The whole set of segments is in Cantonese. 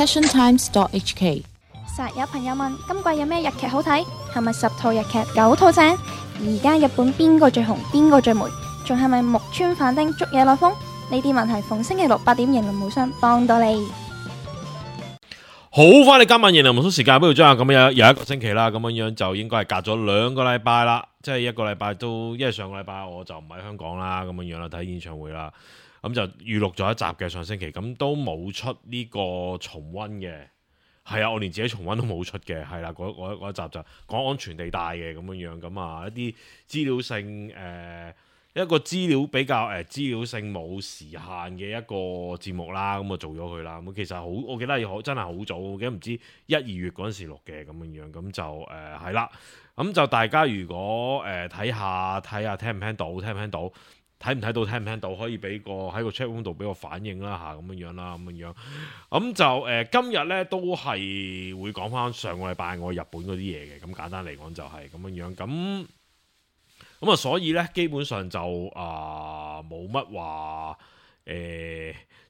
passiontimes.hk。實有朋友問今季有咩日劇好睇？係咪10套日劇9套正？而家日本邊個最紅？邊個最霉？仲係咪木村反町捉野內風？呢啲問題逢星期六8點，型林無雙幫到你。好，翻嚟今晚型林無雙時間，不如將咁樣有一個星期啦，咁樣就應該係隔咗2個禮拜啦，即係一個禮拜都，因為上個禮拜我就唔喺香港啦，咁樣啦睇演唱會啦，咁就預錄咗一集嘅上星期，咁都冇出呢個重溫嘅。係啊，我連自己重溫都冇出嘅，係啦，嗰一集就講安全地帶嘅咁樣，咁啊一啲資料性一個資料比較資料性冇時限嘅一個節目啦，咁啊做咗佢啦。咁其實好，我記得真係好早，我記得唔知1、2月嗰陣時錄嘅咁樣，咁就係啦。咁就大家如果睇下聽唔聽到，睇唔睇到，聽唔聽到，可以俾個喺個 chat room 度俾個反應啦嚇，咁樣啦，咁樣。咁就今日咧都係會講翻上個禮拜我日本嗰啲嘢嘅，咁簡單嚟講就係咁樣。咁啊，所以咧基本上就冇乜話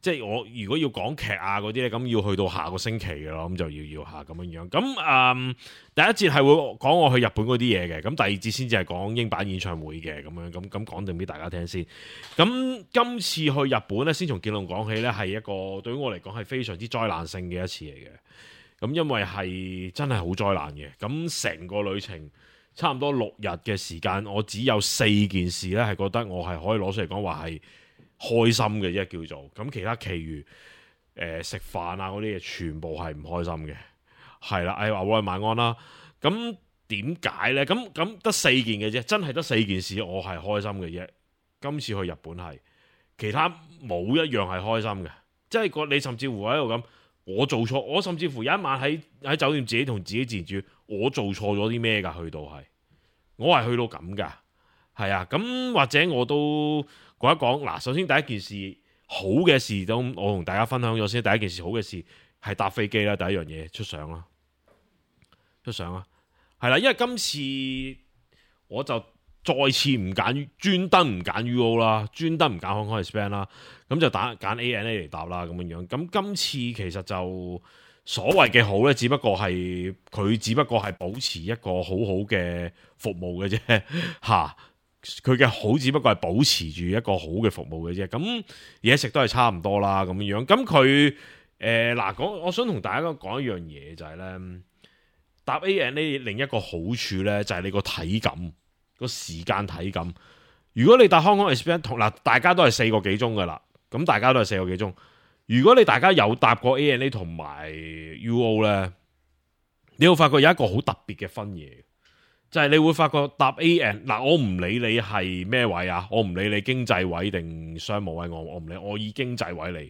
即係我如果要講劇啊嗰啲咧，咁要去到下個星期嘅咯，咁就要下咁樣。咁第一節係會講我去日本嗰啲嘢嘅，咁第二節先至係講英版演唱會嘅咁樣，咁講定俾大家聽先。咁今次去日本咧，先從結論講起咧，係一個對於我嚟講係非常之災難性嘅一次嚟嘅。咁因為係真係好災難嘅，咁成個旅程差唔多6日嘅時間，我只有4件事咧係覺得我係可以攞出嚟講話係開心嘅啫，叫做咁。其他其餘食飯啊嗰啲嘢全部係唔開心嘅，係啦。話我係晚安啦。咁點解呢？咁得4件嘅啫，真係得4件事我係開心嘅啫。今次去日本係其他冇一樣係開心嘅，即係你甚至乎喺度咁，我做錯，我甚至乎有一晚喺酒店自己同自己自住，我做錯咗啲咩㗎？去到係我係去到咁㗎，係啊。咁或者我都講一講嗱，首先第一件事好嘅事都我同大家分享咗先。第一件事好嘅事係搭飛機啦，第一樣嘢出相啦，係啦。因為今次我就再次唔揀，專登唔揀 UO 啦，專登唔揀 Hong Kong Express 啦，咁就揀 ANA 嚟搭啦咁樣。咁今次其實就所謂嘅好呢，只不過係保持一個好好嘅服務嘅啫嚇。佢嘅好只不過係保持住一個好嘅服務嘅啫，咁嘢食都係差唔多啦咁樣。咁佢我想同大家講一樣嘢就係呢，搭 ANA 另一個好處呢，就係你個體感個時間體感。如果你搭 Hong Kong Express 大家都係4個幾鐘噶啦，咁大家都係4個幾鐘。如果大家有搭過 ANA 同埋 UO 呢，你會發覺有一個好特別嘅分野。就係你會發覺搭 AN 我唔理你係咩位啊，我唔理你經濟位定商務位，我唔理，我以經濟位嚟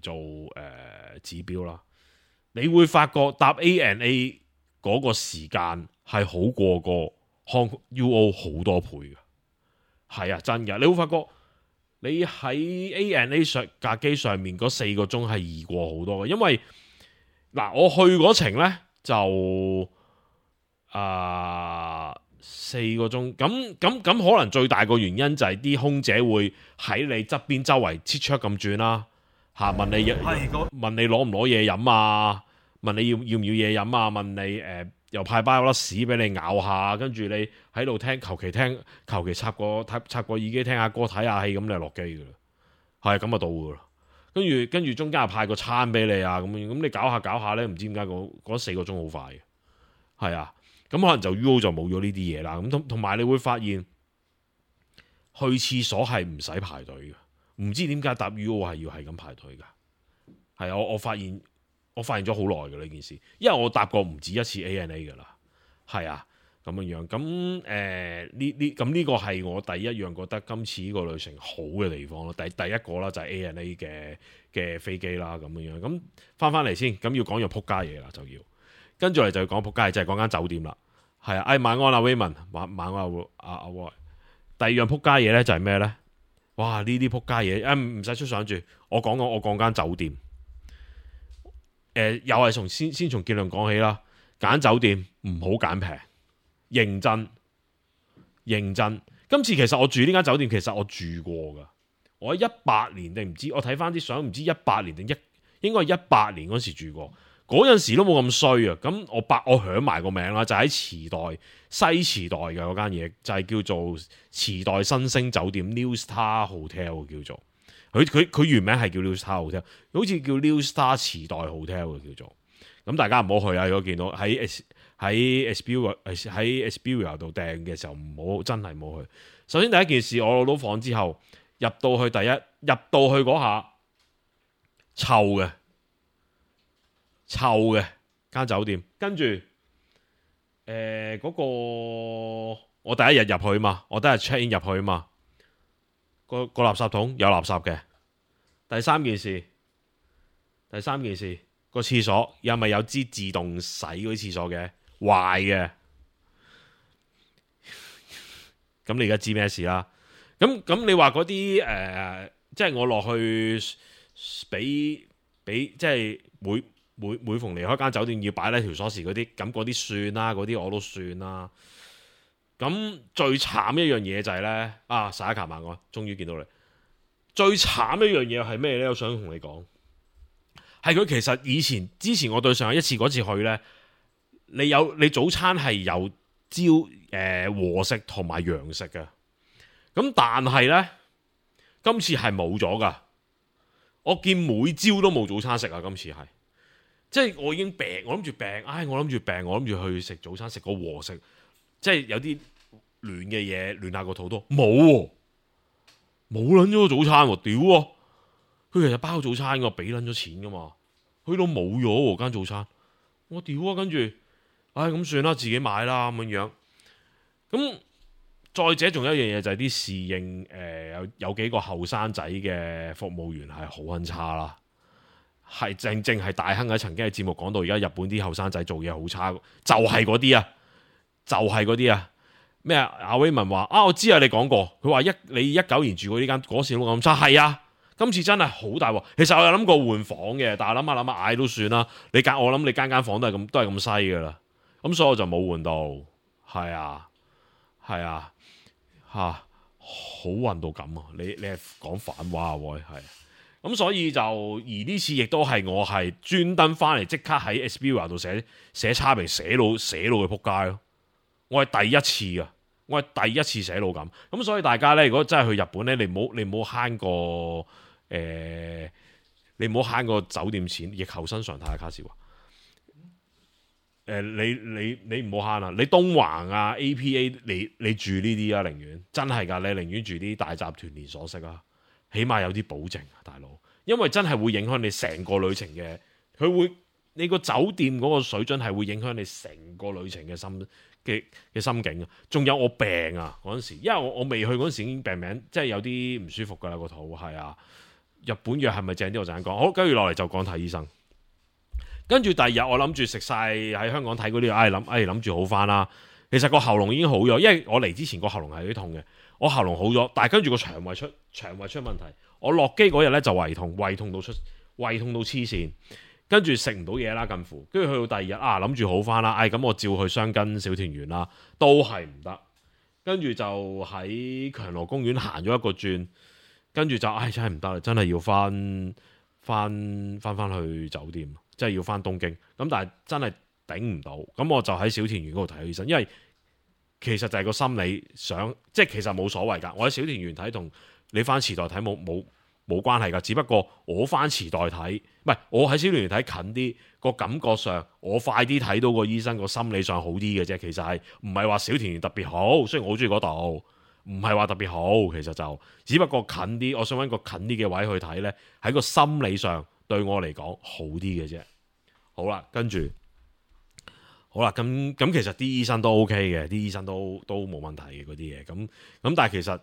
做指標啦。你會發覺搭 ANA 嗰個時間係好過個 Hong UO 好多倍嘅，係啊，真嘅。你會發覺你喺 ANA 上架機上面嗰4個鐘係易過好多嘅，因為我去嗰程呢就4個鐘，咁可能最大個原因就係啲空姐會喺你側邊周圍切出咁轉啦，問你攞唔攞嘢飲啊，問你要唔要嘢飲啊，問你又派包粒屎俾你咬下，跟住你喺度求其插個耳機聽下歌睇下戲，咁你就落機噶啦，係咁就到噶啦。跟住中間又派個餐俾你啊，咁你搞下咧，唔知點解嗰4個鐘好快嘅，係啊。咁可能就 UO 就冇咗呢啲嘢啦，咁同埋你會發現去廁所係唔使排隊嘅，唔知點解搭 UO 係要係咁排隊噶，係啊，我發現咗好耐嘅呢件事，因為我搭過唔止一次 ANA 噶啦，係啊，咁樣，咁呢個係我第一樣覺得今次呢個旅程好嘅地方咯，第一個啦就係 ANA 嘅飛機啦，咁樣，咁翻嚟先，咁要講樣撲街嘢啦，就要跟住嚟就要講撲街，就係講間酒店啦。係啊，晚安啊 Raymond， 晚安阿 Roy。第二樣撲街嘢咧就係咩咧？哇！呢啲撲街嘢，唔使出相住，我講間酒店。又係先從結論講起啦。揀酒店唔好揀平，認真。今次其實我住呢間酒店，其實我住過噶。我喺18年定唔知，我睇翻啲相，唔知18年定應該係18年嗰時住過，嗰陣時都冇咁衰啊。咁我響埋個名啦，就喺池袋西池袋嘅嗰間嘢，就係叫做池袋新星酒店 New Star Hotel 叫做，佢原名係叫 New Star Hotel，好似叫 New Star 池袋 Hotel 嘅叫做。咁大家唔好去啊！如果見到喺 Expedia 度訂嘅時候，唔好真係唔好去。首先第一件事，我攞到房之後入到去嗰下臭嘅間酒店，跟住嗰個我第一日入去嘛，我第一日 check in 入去嘛，個垃圾桶有垃圾嘅。第三件事。個廁所又咪有支自動洗嗰啲廁所嘅壞嘅，咁你而家知咩事啦？咁你話嗰啲即係我落去俾即係每逢離開間酒店要擺低條鎖匙嗰啲，咁嗰啲算啦，嗰啲我都算啦。咁最慘一樣嘢就係咧，撒一卡萬我終於見到你。最慘一樣嘢係咩咧？我想同你講。係佢其實之前我對上一次嗰次去呢，你早餐係有和食同埋洋食嘅，咁但係呢，今次係冇咗噶，我見每朝都冇早餐食啊！今次係，即係我已經病，我諗住去食早餐，食個和食，即係有啲暖嘅嘢暖下個肚都冇撚咗個早餐喎，屌喎！佢其實包早餐我俾撚咗錢噶嘛，去到冇咗喎間早餐，我屌啊！跟住，咁算啦，自己買啦咁樣。咁再者仲有一樣嘢就係啲侍應，有幾個後生仔嘅服務員係好撚差啦，係正係大亨喺曾經嘅節目講到，而家日本啲後生仔做嘢好差，就係嗰啲啊，咩阿威文話我知啊，你講過，佢話你19年住過呢間嗰時都咁差，係啊。今次真係好大鑊，其實我有諗過換房嘅，但係諗下嗌都算啦。我諗你間房都係咁西噶啦，咁所以我就冇換到。係啊，好運到咁啊！你係講反話啊，喂，係。咁所以而呢次亦都係我係專登翻嚟即刻喺 Expedia 度寫差評寫到佢撲街咯。我係第一次啊，我係第一次寫到咁。咁所以大家咧，如果真係去日本咧，你唔好慳個。你唔好慳個酒店錢，疫後新常態。卡士話，你唔好慳啦，你東橫啊 APA，你住呢啲啊，寧願真係噶，你寧願住啲大集團連鎖式啊，起碼有啲保證啊，大佬，因為真係會影響你成個旅程嘅，你個酒店嗰個水準係會影響你成個旅程嘅心境啊。仲有我病啊嗰陣時，因為我未去嗰陣時已經病名，即係有啲唔舒服噶啦個肚，係啊。日本藥係咪正啲？我陣間講。好，跟住落嚟就講睇醫生。跟住第二日我諗住食晒喺香港睇嗰啲，諗住好翻啦。其實個喉嚨已經好咗，因為我嚟之前個喉嚨係有啲痛嘅，我喉嚨好咗，但係跟住個腸胃出問題。我落機嗰日咧就胃痛到黐線，跟住食唔到嘢啦，近乎。跟住去到第二日諗住好翻啦，咁我照去雙根小田園啦，都係唔得。跟住就喺強羅公園行咗一個轉。跟住就真係唔得啦，真係要翻去酒店，即係要翻東京。咁但係真係頂唔到，咁我就喺小田園嗰度睇醫生，因為其實就係個心理想，即係其實冇所謂㗎。我喺小田園睇同你翻池袋睇冇關係㗎，只不過我翻池袋睇，唔係我喺小田園睇近啲，個感覺上我快啲睇到個醫生，個心理上好啲嘅啫。其實係唔係話小田園特別好，雖然我好中意嗰度。唔係話特別好，其實就只不過近啲，我想揾個近啲嘅位去睇呢，喺個心理上對我嚟講好啲嘅啫。好啦，跟住好啦，咁其實啲醫生都 OK 嘅，啲醫生都冇問題嘅嗰啲嘢。咁但係其實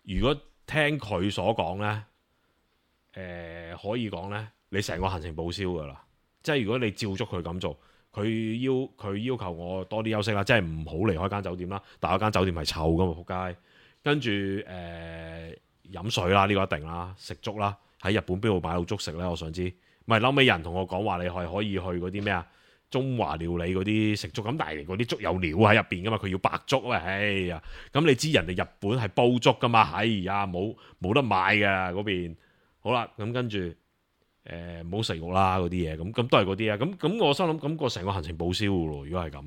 如果聽佢所講呢，可以講呢，你成個行程報銷㗎啦。即係如果你照足佢咁做，佢要求我多啲休息啦，即係唔好離開間酒店啦。但係間酒店係臭㗎嘛，仆街。跟住飲水啦，呢個一定啦，食粥啦。喺日本邊度買到粥食呢？我想知。唔係，後尾人同我講話，你係可以去嗰啲咩啊？中華料理嗰啲食粥，咁但係嗰啲粥有料喺入邊噶嘛，佢要白粥啊！哎呀，咁你知人哋日本係煲粥噶嘛？哎呀，冇得買噶嗰邊。好啦，咁跟住唔好食肉啦嗰啲嘢，咁都係嗰啲啊。咁我心諗咁個成個行程報銷嘅咯。如果係咁，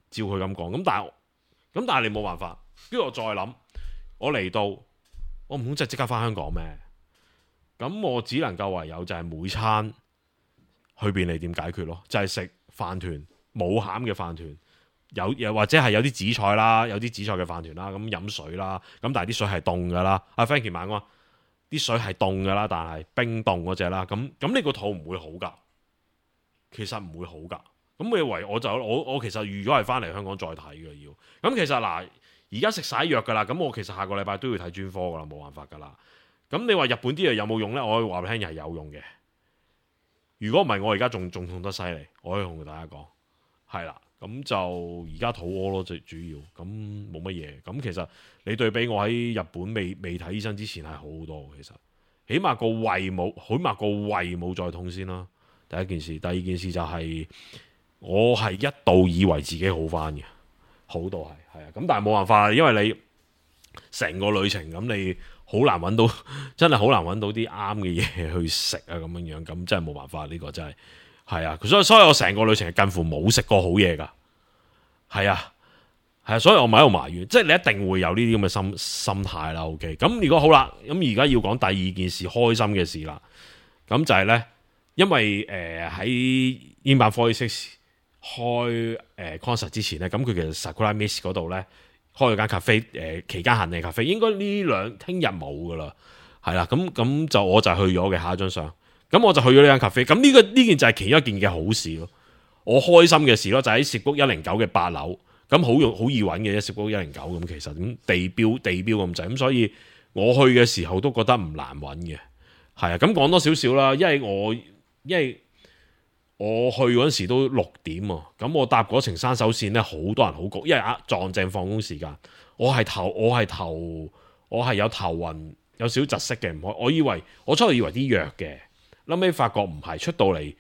照佢咁講，咁但係你冇辦法。跟住我再諗，我嚟到我唔通即刻翻香港咩？咁我只能夠唯有就係每餐去便利店解決咯，就係食飯團冇餡嘅飯團。又或者係有啲紫菜啦，有啲紫菜嘅飯團啦，咁飲水啦，咁但係啲水係凍噶啦。阿 Frankie 問我啲水係凍噶啦，但係冰凍嗰隻啦，咁你個肚唔會好噶，其實唔會好噶。咁你以為我其實預咗係翻嚟香港再睇嘅要。咁其實嗱，而家食晒藥噶啦，咁我其實下個禮拜都要睇專科噶啦，冇辦法噶啦。咁你話日本啲嘢有冇用呢？我可以話俾你聽係有用嘅。如果唔係，我而家仲痛得犀利，我可以同大家講係啦。咁就而家肚屙咯，最主要咁冇乜嘢。咁其實你對比我喺日本未睇醫生之前係好好多。其實起碼個胃冇再痛先啦。第一件事，第二件事就係我係一度以為自己好翻嘅，好到係啊。咁但係冇辦法，因為你成個旅程咁，你好難揾到，真係好難揾到啲啱嘅嘢去食啊咁樣，咁真係冇辦法。呢個真係。係啊，所以我成個旅程係近乎冇食過好嘢噶，係啊，所以我咪喺度埋怨，即係你一定會有呢啲咁嘅心態啦。OK，咁如果好啦，咁而家要講第二件事，開心嘅事啦，咁就係呢，因為喺英版46開concert 之前呢，咁佢其實 Sakura Miss 嗰度呢，開咗間咖啡，期間限定咖啡，應該聽日冇噶啦，係啦，咁就我就去咗嘅，下一張相。咁我就去咗呢間咖啡，咁呢件就係其中一件嘅好事咯，我開心嘅事咯，就喺涉谷109嘅8樓，咁好易揾嘅啫，涉谷109咁其實咁地標咁滯，咁所以我去嘅時候都覺得唔難揾嘅，係啊，咁講多少少啦，因為我去嗰陣時都6點喎，咁我搭嗰程山手線呢，好多人好焗，因為撞正放工時間，我係有頭暈，有少窒息嘅，唔開，我初頭以為啲藥嘅。後尾發覺唔係，出到嚟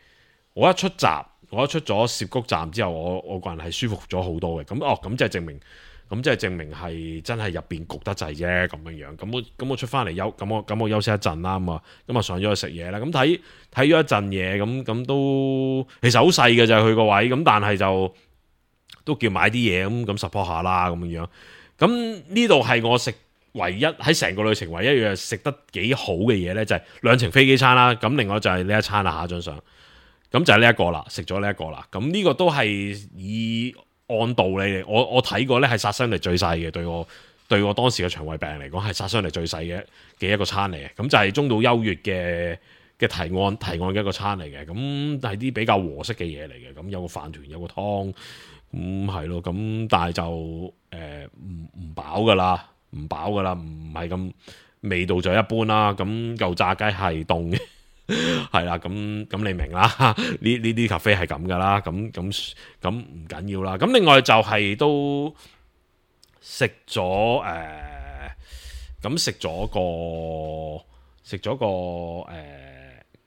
我一出咗涉谷站之後，我個人係舒服咗好多嘅。咁即係證明係真係入邊焗得滯啫咁樣。咁我出翻嚟咁我休息一陣啦。咁啊上咗去食嘢啦。咁睇咗一陣嘢，咁都其實好細嘅就係佢個位。咁但係就都叫買啲嘢咁 support 下啦咁樣。咁呢度係我食。唯一喺成個旅程唯一樣食得幾好嘅嘢呢，就係2程飛機餐啦。咁另外就係呢一餐啦，下一張相。咁就係呢一個啦，食咗呢一個啦。咁呢個都係以按道理嚟，我睇過呢係殺傷力最細嘅，對我當時嘅腸胃病嚟講係殺傷力最細嘅一個餐嚟嘅。咁就係中島優越嘅提案嘅一個餐嚟嘅。咁係啲比較和式嘅嘢嚟嘅。咁有個飯團，有個湯，係咯。咁但係就唔飽噶啦。唔飽噶啦，唔係咁味道就一般啦。咁嚿炸雞係凍嘅，係啦。咁你明啦？呢啲咖啡係咁噶啦。咁唔緊要啦。咁另外就係都食咗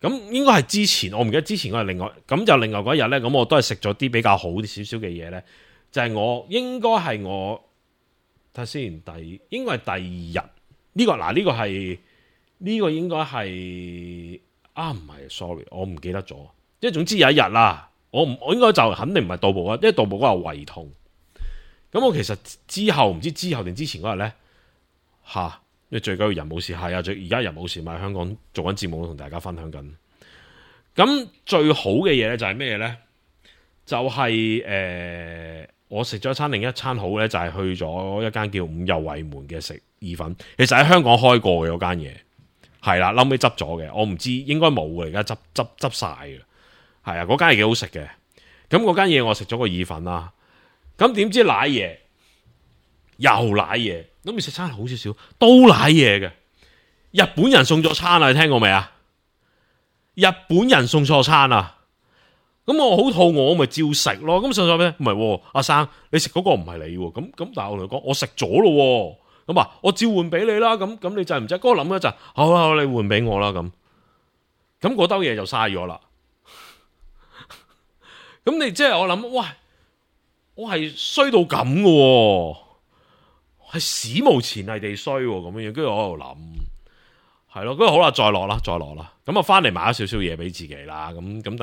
咁應該係之前，我唔記得之前嗰日另外嗰一日咧。咁我都係食咗啲比較好啲少少嘅嘢咧。就係應該係我。睇下先，應該係第二日呢個嗱，呢個應該係唔係 sorry， 我唔記得咗。即係總之有一日啦，我應該就肯定唔係到步啊，因為到步嗰日胃痛。咁我其實之後唔知之後定之前嗰日咧因為最緊要人冇事，係啊，而家人冇事，咪喺香港做緊節目同大家分享緊。咁最好嘅嘢咧就係咩咧？就係我食咗另一餐好咧，就係去咗一間叫五右衛門嘅食意粉。其實喺香港開過嘅嗰間嘢，係啦，後尾執咗嘅。我唔知應該冇嘅，而家執晒嘅。係啊，嗰間嘢幾好食嘅。咁嗰間嘢我食咗個意粉啦。咁點知瀨嘢又瀨嘢，咁你食餐好少少都瀨嘢嘅。日本人送錯餐啊，你聽過未啊？日本人送錯餐啊！咁我好肚餓，我咪照食咯。咁上咗咩？唔係，阿生，你食嗰個唔係你喎。咁但係我同佢講，我食咗咯。咁我照換俾你啦。咁你制唔制？嗰個諗一陣，好，你換俾我啦。咁嗰兜嘢就嘥咗啦。咁你即係我諗，喂，我係衰到咁嘅，係史無前例地衰咁樣。跟住我喺度諗，係咯，咁好啦，再落啦。咁啊，翻嚟買咗少少嘢俾自己啦。咁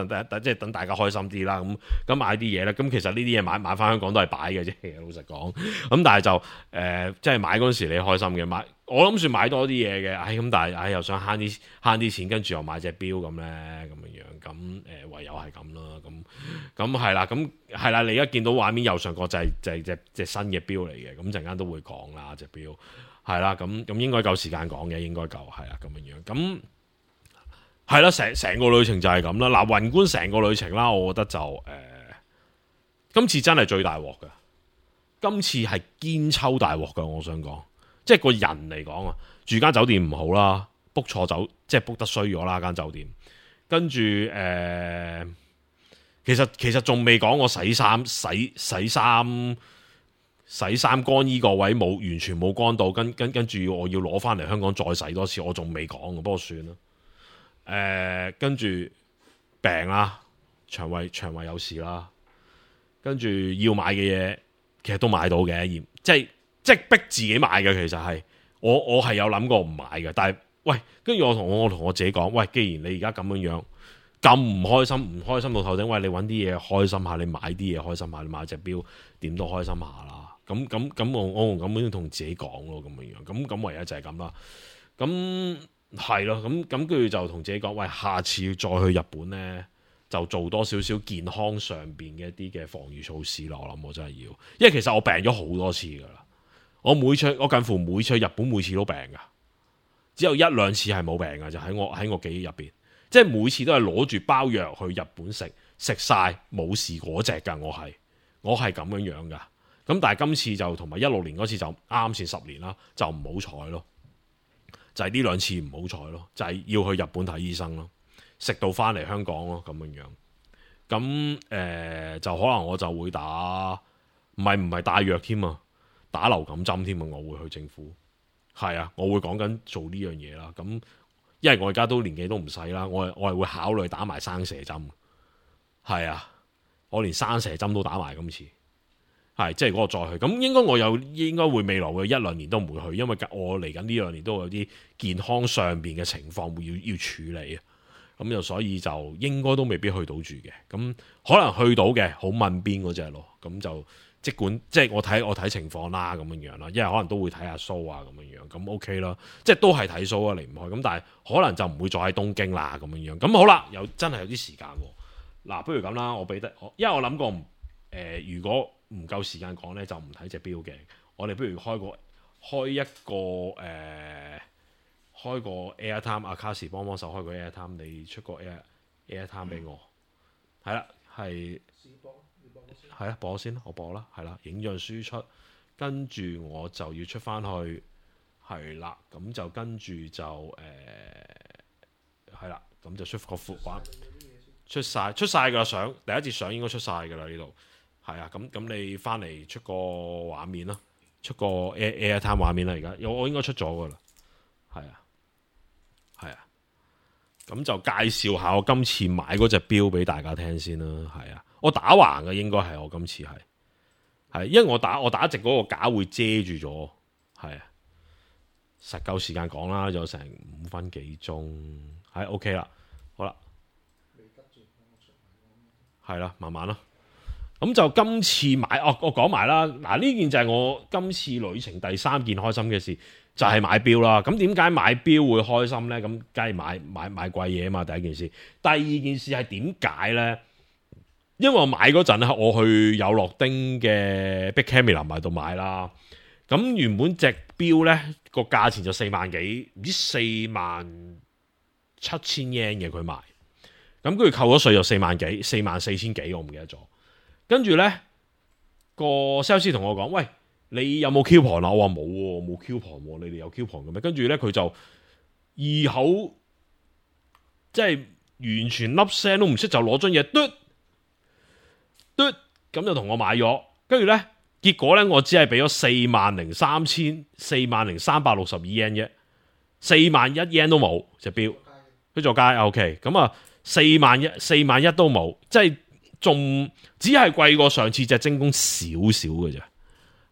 等大家開心啲啦。咁買啲嘢咧，咁其實呢啲嘢買翻香港都係擺嘅啫。老實講，咁但係就即係買嗰陣時你開心嘅，我諗住買多啲嘢嘅。咁但係又想慳啲錢，跟住又買隻錶咁咧，咁樣咁唯有係咁啦。咁係啦，咁係啦。你而家見到畫面右上角就係隻新嘅錶嚟嘅。咁陣間都會講啦，隻錶。係啦，咁應該夠時間講嘅，應該夠係啦，咁樣。咁係啦，成個旅程就係咁啦。嗱，宏觀成個旅程啦，我覺得就今次真係最大鑊嘅。今次係堅抽大鑊嘅，我想講，即係個人嚟講啊，住間酒店唔好啦，book 錯即係 book 得衰咗啦間酒店。跟住其實仲未講我洗衫乾衣個位完全冇乾到，跟住我要攞翻嚟香港再洗多次，我仲未講，不過算啦。跟住病啦，腸胃有事啦，跟住要買嘅嘢其實都買到嘅，即係逼自己買嘅。其實係我係有諗過唔買嘅，但係喂，跟住我同我自己講，喂，既然你而家咁樣咁唔開心到頭頂，喂，你揾啲嘢開心下，你買啲嘢開心下，你買隻錶點都開心下啦。咁我咁樣同自己講咯，咁樣咁唯有就係咁啦。咁係咯，咁跟住就同自己講，喂，下次再去日本呢，就做多少少健康上邊嘅一啲嘅防禦措施咯。我諗我真係要，因為其實我病咗好多次噶啦，我近乎每次去日本每次都病噶，只有一兩次係冇病噶，就喺我記憶入邊，即係每次都係攞住包藥去日本食晒冇事嗰隻噶，我係咁樣噶。咁但係今次就同埋16年嗰次就啱先10年啦，就唔好彩咯，就係呢兩次唔好彩咯，就係要去日本睇醫生咯，食到翻嚟香港咯，咁樣。咁就可能我就會打，唔係帶藥添啊，打流感針添啊，我會去政府，係啊，我會講緊做呢樣嘢啦。咁因為我而家都年紀都唔細啦，我係會考慮打埋生蛇針，係啊，我連生蛇針都打埋今次。係，即係嗰個再去，咁應該我應該會未來嘅1-2年都唔會去，因為我嚟緊呢2年都有啲健康上邊嘅情況會要處理啊，咁就所以就應該都未必去到住嘅，咁可能去到嘅好問邊嗰隻咯，咁就即係我睇情況啦，咁樣啦，因為可能都會睇下 show 啊，咁樣，咁 OK 啦，即係都係睇 show 啊，離唔開，咁但係可能就唔會再喺東京啦，咁樣，咁好啦，真係有啲時間喎，嗱，不如咁啦，因為我諗過如果唔夠時間講呢，就唔睇隻錶嘅。我哋不如開一個Airtime， 阿卡士幫手開個 Airtime， 你出個 Airtime 俾我。係啦，係啦，播先啦，我播啦，係啦，影像輸出，跟住我就要出翻去，係啦，咁就跟住就係啦，咁就出個副畫，出晒㗎相，第一節相應該出晒㗎啦呢度。係啊，咁你翻嚟出個畫面啦，出個 Airtime 畫面啦，而家我應該出咗噶啦，係啊，咁就介紹下我今次買嗰隻錶俾大家聽先啦，係啊，我打橫嘅應該係我今次係，因為我打直嗰個架會遮住咗，係啊，實夠時間講啦，有成5分幾鐘，係 OK 啦，好啦，係啦，慢慢啦。咁就今次買我講埋啦。嗱，呢件就係我今次旅程第3件開心嘅事，就係買錶啦。咁點解買錶會開心呢？咁梗係買貴嘢啊嘛。第一件事，第二件事係點解呢？因為我買嗰陣咧，我去有樂町嘅 Big Camera 買度買啦。咁原本隻錶呢個價錢就4萬幾，唔知4萬7千 yen 嘅佢賣。咁跟住扣咗稅就4萬幾，4萬4千幾，我唔記得咗。跟住呢個 sales 同我講，喂，你有冇 coupon 啊？我話冇喎，冇 coupon 喎，你哋有 coupon 嘅咩？跟住呢，佢就異口即係完全粒聲都唔識，就攞張嘢嘟，咁就同我買咗。跟住呢，結果呢，我只係俾咗40362 yen 啫，401 yen 都冇隻錶，佢做街 OK。咁啊4萬一都冇，即係。仲只係貴過上次隻精工少少嘅啫，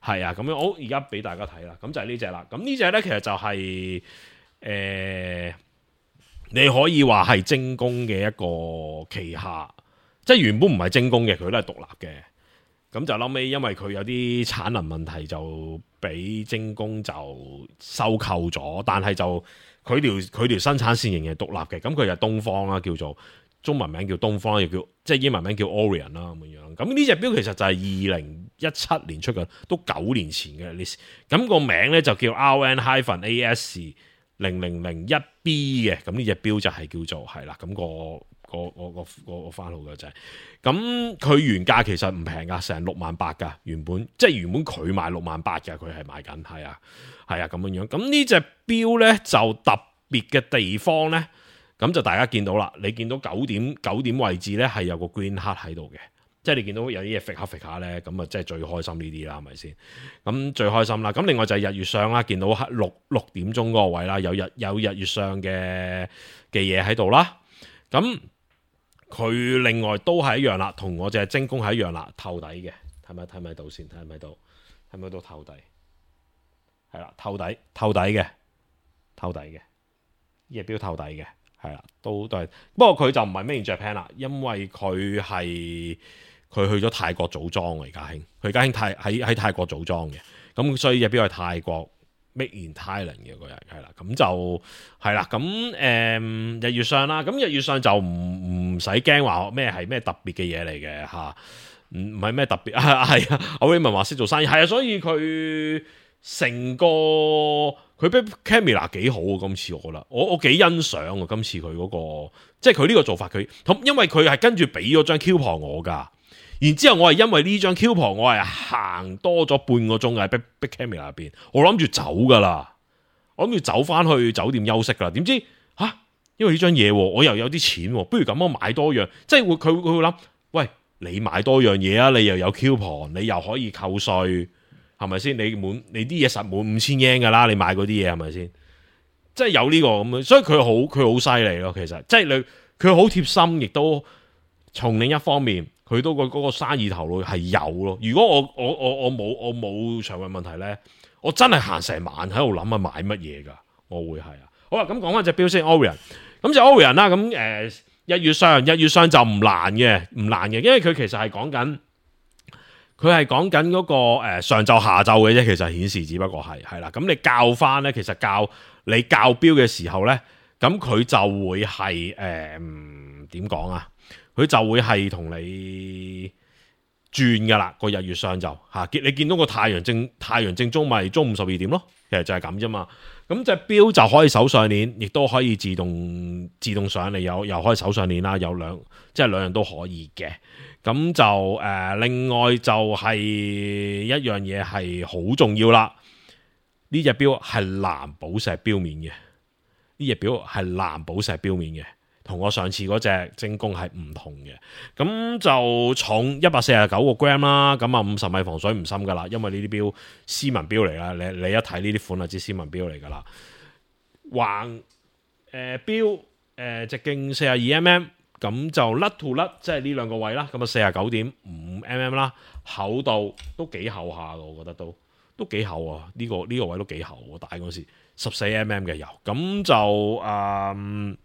係啊，咁樣我而家俾大家睇啦，咁就係呢隻啦。咁呢隻呢，其實就係你可以話係精工嘅一個旗下，即係原本唔係精工嘅，佢都係獨立嘅。咁就後尾因為佢有啲產能問題，就俾精工就收購咗，但係就佢條生產線仍然係獨立嘅。咁佢就東方啦，叫做中文名叫東方，亦叫即係英文名叫 Orion 啦咁樣。咁呢隻錶其實就係2017年出嘅，都9年前嘅 list。咁個名咧就叫 RN-AS 0001B 嘅。咁呢隻錶就係叫做係啦。咁個番號嘅就係咁，佢原價其實唔平噶，成68000噶。原本佢賣68000嘅，佢係賣緊，係啊咁樣。咁呢隻錶咧就特別嘅地方咧，咁就大家見到啦。你見到9點位置咧係有個 green heart 喺度嘅，即係你見到有啲嘢揈下咧，咁啊即係最開心呢啲啦，係咪先？咁最開心啦。咁另外就係日月相啦，見到6點鐘嗰個位啦，有日月相嘅嘢喺度啦。咁佢另外都係一樣啦，同我隻精工係一樣啦，透底嘅，睇咪到先，睇咪到透底，係啦，透底嘅，呢隻錶透底嘅，係啦，都係。不過佢就唔係 Made in Japan 啦，因為佢去咗泰國組裝嚟，家興，佢家興喺泰國組裝嘅，咁所以隻錶係泰國 Made in Thailand 嘅嗰日，係啦，咁就係啦，咁日月相啦，咁日月相就唔使驚話咩係咩特別嘅嘢嚟嘅嚇，唔係咩特別係啊，阿 Raymond 話識做生意，係啊，所以佢成個佢俾 camera 幾好啊，今次我覺得我幾欣賞啊，今次佢嗰個即係佢呢個做法，因為佢係跟住俾咗張 coupon 我㗎。然之後我係因為呢張 coupon 我係行多咗半個鐘喺 Big Camera 入邊，我諗住走噶啦，我諗住走翻去酒店休息噶啦。點知因為呢張嘢我又有啲錢，不如咁我買多樣，即係佢會諗，喂，你買多樣嘢啊，你又有 coupon，你又可以扣稅，係咪先？你啲嘢實滿5000 yen 噶啦，你買嗰啲嘢係咪先？即係有呢個咁樣，所以佢好犀利咯。其實即係佢好貼心，亦都從另一方面。佢都嗰個生意頭腦係有咯。如果我冇腸胃問題咧，我真係行成晚喺度諗買乜嘢㗎。我會係啊。好啦，咁講翻隻錶先 Orion。咁就 Orion 啦。咁日月相就唔難嘅，因為佢其實係講緊嗰個上晝下晝嘅啫。其實顯示只不過係啦。咁你校翻咧，其實你校錶嘅時候咧，咁佢就會係點講啊？佢就會係同你轉噶啦，個日月相就你見到個太陽正中咪中午12點咯，其實就係咁啫嘛。咁隻錶就可以手上鏈，亦都可以自動上嚟，又可以手上鏈啦，有兩樣都可以嘅。咁就另外就係一樣嘢係好重要啦。呢隻錶係藍寶石錶面嘅。同我上次嗰隻精工係唔同嘅，咁就重149個 gram 啦，咁啊50米防水唔深噶啦，因為呢啲錶斯文錶嚟啦，你一睇呢啲款就知斯文錶嚟噶啦。橫錶直徑42mm，咁就甩 to 甩，即係呢兩個位啦，咁啊49.5mm啦，厚度都幾厚下嘅，我覺得都幾厚啊，呢個位都幾厚，我戴嗰時14mm嘅油，咁就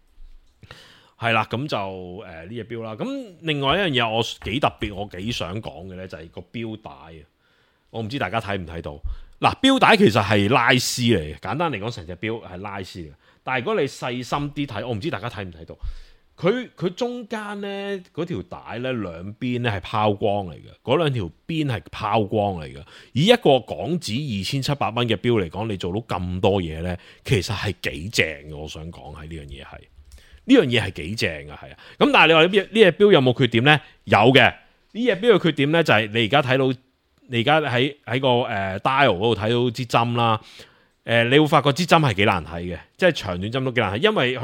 係啦，咁就呢隻錶啦。咁另外一樣嘢我幾特別，我幾想講嘅咧，就係個錶帶啊。我唔知大家睇唔睇到。嗱，錶帶其實係拉絲嚟嘅，簡單嚟講，成隻錶係拉絲嘅。但係如果你細心啲睇，我唔知大家睇唔睇到。佢中間咧嗰條帶咧兩邊咧係拋光嚟嘅，嗰兩條邊係拋光嚟嘅。以一個港紙2700蚊嘅錶嚟講，你做到咁多嘢咧，其實係幾正嘅。我想講係呢樣嘢係。呢樣嘢係幾正㗎，係啊！咁但係你話呢隻錶有冇缺點咧？有嘅。呢隻錶嘅缺點咧就係你而家睇到，你而家喺個dial 嗰度睇到支針啦。你會發覺支針係幾難睇嘅，即係長短針都幾難睇，因為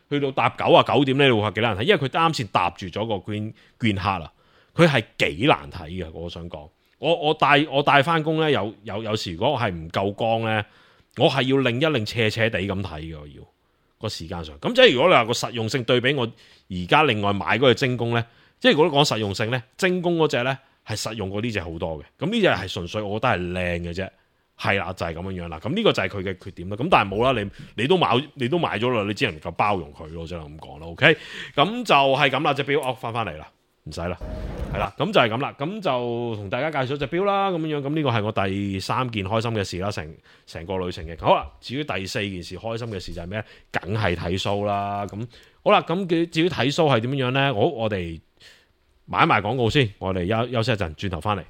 去到搭99點咧，你會發覺幾難睇，因為佢啱先搭住咗個 green heart 啦，佢係幾難睇嘅。我想講，我帶翻工咧，有時如果我係唔夠光咧，我係要擰一擰斜斜地咁睇嘅，我要。個時間上，咁即係如果你話個實用性對比我而家另外買嗰隻精工咧，即係如果講實用性咧，精工嗰隻咧係實用過呢隻好多嘅。咁呢隻係純粹我覺得係靚嘅啫，係啦，就係咁樣樣啦。咁呢個就係佢嘅缺點啦。咁但係冇啦，你都買咗啦，你只能夠包容佢咯，只能咁講啦。OK，咁就係咁啦，隻表我翻嚟啦，唔使啦，係啦，咁就係咁啦。咁就同大家介紹隻表啦，咁樣樣。咁呢個係我第3件開心嘅事啦，成個旅程嘅。好啦，至於第4件事開心嘅事就係咩？梗係睇 show 啦。咁好啦，咁至於睇 show 係點樣樣咧？我哋買埋廣告先，我哋休息一陣，轉頭翻嚟。